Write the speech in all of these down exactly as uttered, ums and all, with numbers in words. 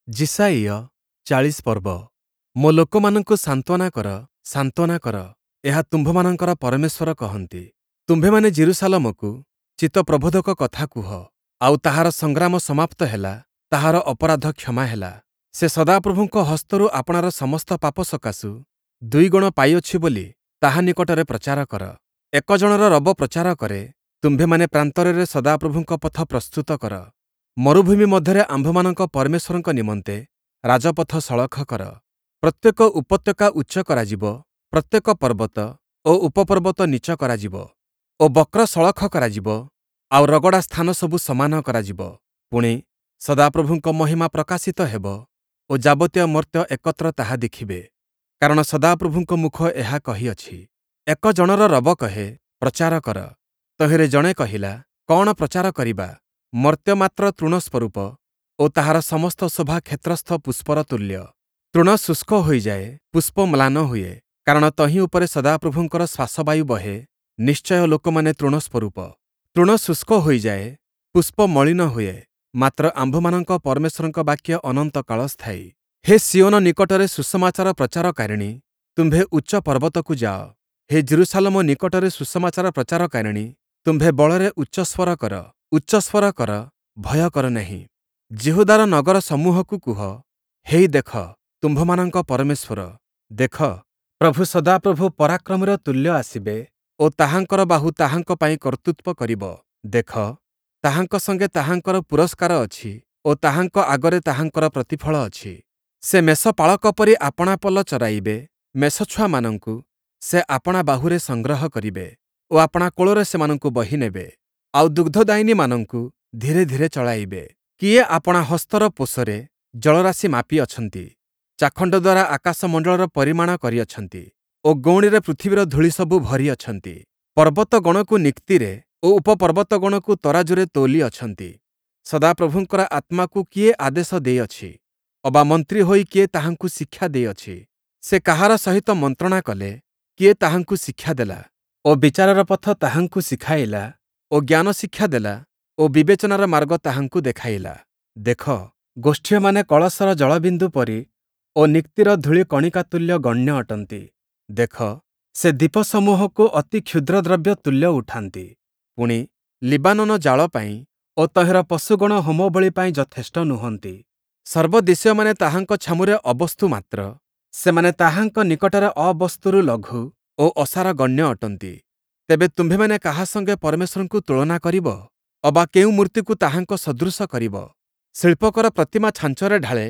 ଯିଶାଇୟ ଚାଳିଶ ପର୍ବ। ମୋ ଲୋକମାନଙ୍କୁ ସାନ୍ତ୍ୱନା କର, ସାନ୍ତ୍ୱନା କର, ଏହା ତୁମ୍ଭମାନଙ୍କର ପରମେଶ୍ୱର କହନ୍ତି। ତୁମ୍ଭେମାନେ ଯିରୂଶାଲମକୁ ଚିତ୍ତପ୍ରବୋଧକ କଥା କୁହ, ଆଉ ତାହାର ସଂଗ୍ରାମ ସମାପ୍ତ ହେଲା, ତାହାର ଅପରାଧ କ୍ଷମା ହେଲା। ସେ ସଦାପ୍ରଭୁଙ୍କ ହସ୍ତରୁ ଆପଣାର ସମସ୍ତ ପାପ ସକାଶୁ ଦୁଇଗୁଣ ପାଇଅଛି ବୋଲି ତାହା ନିକଟରେ ପ୍ରଚାର କର। ଏକ ଜଣର ରବ ପ୍ରଚାର କରେ, ତୁମ୍ଭେମାନେ ପ୍ରାନ୍ତରରେ ସଦାପ୍ରଭୁଙ୍କ ପଥ ପ୍ରସ୍ତୁତ କର। ମରୁଭୂମି ମଧ୍ୟରେ ଆମ୍ଭମାନଙ୍କ ପରମେଶ୍ୱରଙ୍କ ନିମନ୍ତେ ରାଜପଥ ସଳଖ କର। ପ୍ରତ୍ୟେକ ଉପତ୍ୟକା ଉଚ୍ଚ କରାଯିବ, ପ୍ରତ୍ୟେକ ପର୍ବତ ଓ ଉପପର୍ବତ ନୀଚ କରାଯିବ ଓ ବକ୍ର ସଳଖ କରାଯିବ, ଆଉ ରଗଡ଼ା ସ୍ଥାନ ସବୁ ସମାନ କରାଯିବ। ପୁଣି, ସଦାପ୍ରଭୁଙ୍କ ମହିମା ପ୍ରକାଶିତ ହେବ ଓ ଯାବତୀୟ ମର୍ତ୍ତ୍ୟ ଏକତ୍ର ତାହା ଦେଖିବେ। କାରଣ ସଦାପ୍ରଭୁଙ୍କ ମୁଖ ଏହା କହିଅଛି। ଏକ ଜଣର ରବ କହେ, ପ୍ରଚାର କର। ତହିଁରେ ଜଣେ କହିଲା, କଅଣ ପ୍ରଚାର କରିବା? ମର୍ତ୍ତ୍ୟ ମାତ୍ର ତୃଣ ସ୍ୱରୂପ ଓ ତାହାର ସମସ୍ତ ଶୋଭା କ୍ଷେତ୍ରସ୍ଥ ପୁଷ୍ପର ତୁଲ୍ୟ। ତୃଣ ଶୁଷ୍କ ହୋଇଯାଏ, ପୁଷ୍ପ ମ୍ଳାନ ହୁଏ, କାରଣ ତହିଁ ଉପରେ ସଦାପ୍ରଭୁଙ୍କର ଶ୍ୱାସବାୟୁ ବହେ। ନିଶ୍ଚୟ ଲୋକମାନେ ତୃଣ ସ୍ୱରୂପ। ତୃଣ ଶୁଷ୍କ ହୋଇଯାଏ, ପୁଷ୍ପ ମଳିନ ହୁଏ, ମାତ୍ର ଆମ୍ଭମାନଙ୍କ ପରମେଶ୍ୱରଙ୍କ ବାକ୍ୟ ଅନନ୍ତ କାଳ ସ୍ଥାୟୀ। ହେ ସିୟୋନ ନିକଟରେ ସୁସମାଚାର ପ୍ରଚାରକାରିଣୀ, ତୁମ୍ଭେ ଉଚ୍ଚ ପର୍ବତକୁ ଯାଅ। ହେ ଯିରୂଶାଲମ ନିକଟରେ ସୁସମାଚାର ପ୍ରଚାରକାରିଣୀ, ତୁମ୍ଭେ ବଳରେ ଉଚ୍ଚସ୍ୱର କର, ଉଚ୍ଚସ୍ୱର କର, ଭୟ କର ନାହିଁ। ଯିହୁଦାର ନଗର ସମୂହକୁ କୁହ, ହେଇ ଦେଖ, ତୁମ୍ଭମାନଙ୍କ ପରମେଶ୍ୱର! ଦେଖ, ପ୍ରଭୁ ସଦାପ୍ରଭୁ ପରାକ୍ରମୀର ତୁଲ୍ୟ ଆସିବେ ଓ ତାହାଙ୍କର ବାହୁ ତାହାଙ୍କ ପାଇଁ କର୍ତ୍ତୃତ୍ୱ କରିବ। ଦେଖ, ତାହାଙ୍କ ସଙ୍ଗେ ତାହାଙ୍କର ପୁରସ୍କାର ଅଛି ଓ ତାହାଙ୍କ ଆଗରେ ତାହାଙ୍କର ପ୍ରତିଫଳ ଅଛି। ସେ ମେଷପାଳକ ପରି ଆପଣା ପଲ ଚରାଇବେ, ମେଷଛୁଆମାନଙ୍କୁ ସେ ଆପଣା ବାହୁରେ ସଂଗ୍ରହ କରିବେ ଓ ଆପଣା କୋଳରେ ସେମାନଙ୍କୁ ବହି ନେବେ, ଆଉ ଦୁଗ୍ଧଦାୟିନୀମାନଙ୍କୁ ଧୀରେ ଧୀରେ ଚଳାଇବେ। କିଏ ଆପଣା ହସ୍ତର ପୋଷରେ ଜଳରାଶି ମାପିଅଛନ୍ତି? ଚାଖଣ୍ଡ ଦ୍ୱାରା ଆକାଶମଣ୍ଡଳର ପରିମାଣ କରିଅଛନ୍ତି ଓ ଗଉଣୀରେ ପୃଥିବୀର ଧୂଳି ସବୁ ଭରିଅଛନ୍ତି। ପର୍ବତଗଣକୁ ନିକ୍ତିରେ ଓ ଉପପର୍ବତଗଣକୁ ତରାଜୁରେ ତୋଲିଅଛନ୍ତି। ସଦାପ୍ରଭୁଙ୍କର ଆତ୍ମାକୁ କିଏ ଆଦେଶ ଦେଇଅଛି? ଅବା ମନ୍ତ୍ରୀ ହୋଇ କିଏ ତାହାଙ୍କୁ ଶିକ୍ଷା ଦେଇଅଛି? ସେ କାହାର ସହିତ ମନ୍ତ୍ରଣା କଲେ? କିଏ ତାହାଙ୍କୁ ଶିକ୍ଷା ଦେଲା ଓ ବିଚାରର ପଥ ତାହାଙ୍କୁ ଶିଖାଇଲା ଓ ଜ୍ଞାନ ଶିକ୍ଷା ଦେଲା ଓ ବିବେଚନାର ମାର୍ଗ ତାହାଙ୍କୁ ଦେଖାଇଲା? ଦେଖ, ଗୋଷ୍ଠୀୟମାନେ କଳସର ଜଳବିନ୍ଦୁ ପରି ଓ ନିକ୍ତିର ଧୂଳି କଣିକା ତୁଲ୍ୟ ଗଣ୍ୟ ଅଟନ୍ତି। ଦେଖ, ସେ ଦ୍ୱୀପସମୂହକୁ ଅତି କ୍ଷୁଦ୍ର ଦ୍ରବ୍ୟ ତୁଲ୍ୟ ଉଠାନ୍ତି। ପୁଣି, ଲିବାନୋନ ଜାଳ ପାଇଁ ଓ ତହିଁର ପଶୁଗଣ ହୋମବଳି ପାଇଁ ଯଥେଷ୍ଟ ନୁହନ୍ତି। ସର୍ବଦେଶୀୟମାନେ ତାହାଙ୍କ ଛାମୁରେ ଅବସ୍ତୁ ମାତ୍ର, ସେମାନେ ତାହାଙ୍କ ନିକଟରେ ଅବସ୍ତୁରୁ ଲଘୁ ଓ ଅସାର ଗଣ୍ୟ ଅଟନ୍ତି। ତେବେ ତୁମ୍ଭେମାନେ କାହା ସଙ୍ଗେ ପରମେଶ୍ୱରଙ୍କୁ ତୁଳନା କରିବ? ଅବା କେଉଁ ମୂର୍ତ୍ତିକୁ ତାହାଙ୍କ ସଦୃଶ କରିବ? ଶିଳ୍ପକର ପ୍ରତିମା ଛାଞ୍ଚରେ ଢାଳେ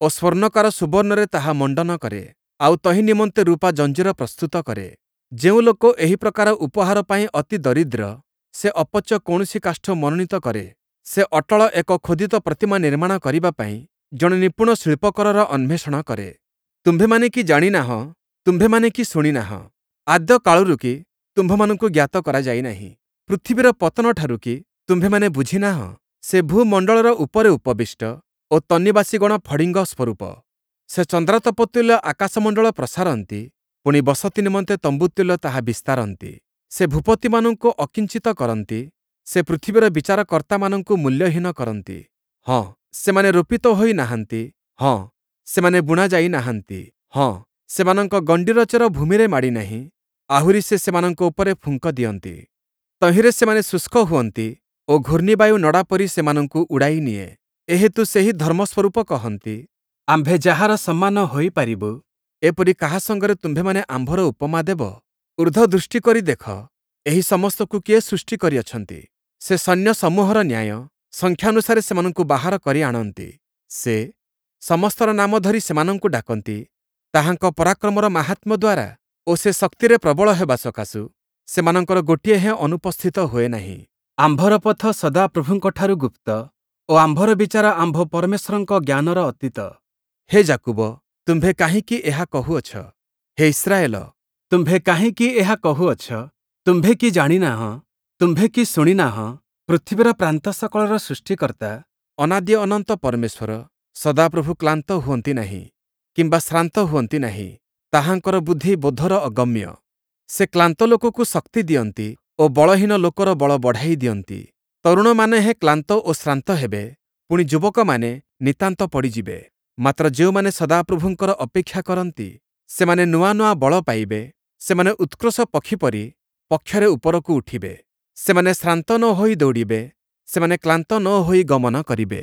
ଓ ସ୍ୱର୍ଣ୍ଣକାର ସୁବର୍ଣ୍ଣରେ ତାହା ମଣ୍ଡନ କରେ, ଆଉ ତହିଁ ନିମନ୍ତେ ରୂପା ଜଞ୍ଜିର ପ୍ରସ୍ତୁତ କରେ। ଯେଉଁ ଲୋକ ଏହି ପ୍ରକାର ଉପହାର ପାଇଁ ଅତି ଦରିଦ୍ର, ସେ ଅପଚ କୌଣସି କାଷ୍ଠ ମନୋନୀତ କରେ। ସେ ଅଟଳ ଏକ ଖୋଦିତ ପ୍ରତିମା ନିର୍ମାଣ କରିବା ପାଇଁ ଜଣେ ନିପୁଣ ଶିଳ୍ପକରର ଅନ୍ୱେଷଣ କରେ। ତୁମ୍ଭେମାନେ କି ଜାଣି ନାହଁ? ତୁମ୍ଭେମାନେ କି ଶୁଣି ନାହଁ? ଆଦ୍ୟ କାଳରୁ କି ତୁମ୍ଭମାନଙ୍କୁ ଜ୍ଞାତ କରାଯାଇ ନାହିଁ? ପୃଥିବୀର ପତନଠାରୁ କି ତୁମ୍ଭେମାନେ ବୁଝି ନାହଁ? ସେ ଭୂମଣ୍ଡଳର ଉପରେ ଉପବିଷ୍ଟ ଓ ତନ୍ନିବାସୀଗଣ ଫଡ଼ିଙ୍ଗ ସ୍ୱରୂପ। ସେ ଚନ୍ଦ୍ରାତପ ତୁଲ୍ୟ ଆକାଶମଣ୍ଡଳ ପ୍ରସାରନ୍ତି, ପୁଣି ବସତି ନିମନ୍ତେ ତମ୍ବୁ ତୁଲ୍ୟ ତାହା ବିସ୍ତାରନ୍ତି। ସେ ଭୂପତିମାନଙ୍କୁ ଅକିଞ୍ଚିତ କରନ୍ତି, ସେ ପୃଥିବୀର ବିଚାରକର୍ତ୍ତାମାନଙ୍କୁ ମୂଲ୍ୟହୀନ କରନ୍ତି। ହଁ, ସେମାନେ ରୋପିତ ହୋଇ ନାହାନ୍ତି, ହଁ, ସେମାନେ ବୁଣାଯାଇ ନାହାନ୍ତି, ହଁ, ସେମାନଙ୍କ ଗଣ୍ଡିର ଚେର ଭୂମିରେ ମାଡ଼ି ନାହିଁ। ଆହୁରି ସେ ସେମାନଙ୍କ ଉପରେ ଫୁଙ୍କ ଦିଅନ୍ତି, ତହିଁରେ ସେମାନେ ଶୁଷ୍କ ହୁଅନ୍ତି ଓ ଘୂର୍ଣ୍ଣିବାୟୁ ନଡ଼ା ପରି ସେମାନଙ୍କୁ ଉଡ଼ାଇ ନିଏ। ଏହେତୁ ସେହି ଧର୍ମସ୍ୱରୂପ କହନ୍ତି, ଆମ୍ଭେ ଯାହାର ସମାନ ହୋଇପାରିବୁ, ଏପରି କାହା ସଙ୍ଗରେ ତୁମ୍ଭେମାନେ ଆମ୍ଭର ଉପମା ଦେବ? ଊର୍ଦ୍ଧ୍ୱ ଦୃଷ୍ଟି କରି ଦେଖ, ଏହି ସମସ୍ତକୁ କିଏ ସୃଷ୍ଟି କରିଅଛନ୍ତି? ସେ ସୈନ୍ୟସମୂହର ନ୍ୟାୟ ସଂଖ୍ୟାନୁସାରେ ସେମାନଙ୍କୁ ବାହାର କରି ଆଣନ୍ତି। ସେ ସମସ୍ତର ନାମ ଧରି ସେମାନଙ୍କୁ ଡାକନ୍ତି। ତାହାଙ୍କ ପରାକ୍ରମର ମାହାତ୍ମ୍ୟ ଦ୍ୱାରା ଓ ସେ ଶକ୍ତିରେ ପ୍ରବଳ ହେବା ସକାଶୁ ସେମାନଙ୍କର ଗୋଟିଏ ହେଁ ଅନୁପସ୍ଥିତ ହୁଏ ନାହିଁ। ଆମ୍ଭର ପଥ ସଦାପ୍ରଭୁଙ୍କଠାରୁ ଗୁପ୍ତ ଓ ଆମ୍ଭର ବିଚାର ଆମ୍ଭ ପରମେଶ୍ୱରଙ୍କ ଜ୍ଞାନର ଅତୀତ। ହେ ଯାକୁବ, ତୁମ୍ଭେ କାହିଁକି ଏହା କହୁଅଛ? ହେ ଇସ୍ରାଏଲ, ତୁମ୍ଭେ କାହିଁକି ଏହା କହୁଅଛ? ତୁମ୍ଭେ କି ଜାଣି ନାହଁ? ତୁମ୍ଭେ କି ଶୁଣି ନାହଁ? ପୃଥିବୀର ପ୍ରାନ୍ତ ସକଳର ସୃଷ୍ଟିକର୍ତ୍ତା ଅନାଦି ଅନନ୍ତ ପରମେଶ୍ୱର ସଦାପ୍ରଭୁ କ୍ଳାନ୍ତ ହୁଅନ୍ତି ନାହିଁ କିମ୍ବା ଶ୍ରାନ୍ତ ହୁଅନ୍ତି ନାହିଁ। ତାହାଙ୍କର ବୁଦ୍ଧି ବୋଧର ଅଗମ୍ୟ। ସେ କ୍ଳାନ୍ତ ଲୋକକୁ ଶକ୍ତି ଦିଅନ୍ତି ଓ ବଳହୀନ ଲୋକର ବଳ ବଢ଼ାଇ ଦିଅନ୍ତି। ତରୁଣମାନେ ହେଁ କ୍ଳାନ୍ତ ଓ ଶ୍ରାନ୍ତ ହେବେ, ପୁଣି ଯୁବକମାନେ ନିତାନ୍ତ ପଡ଼ିଯିବେ। ମାତ୍ର ଯେଉଁମାନେ ସଦାପ୍ରଭୁଙ୍କର ଅପେକ୍ଷା କରନ୍ତି, ସେମାନେ ନୂଆ ନୂଆ ବଳ ପାଇବେ। ସେମାନେ ଉତ୍କ୍ରୋଶ ପକ୍ଷୀ ପରି ପକ୍ଷରେ ଉପରକୁ ଉଠିବେ। ସେମାନେ ଶ୍ରାନ୍ତ ନ ହୋଇ ଦୌଡ଼ିବେ, ସେମାନେ କ୍ଳାନ୍ତ ନ ହୋଇ ଗମନ କରିବେ।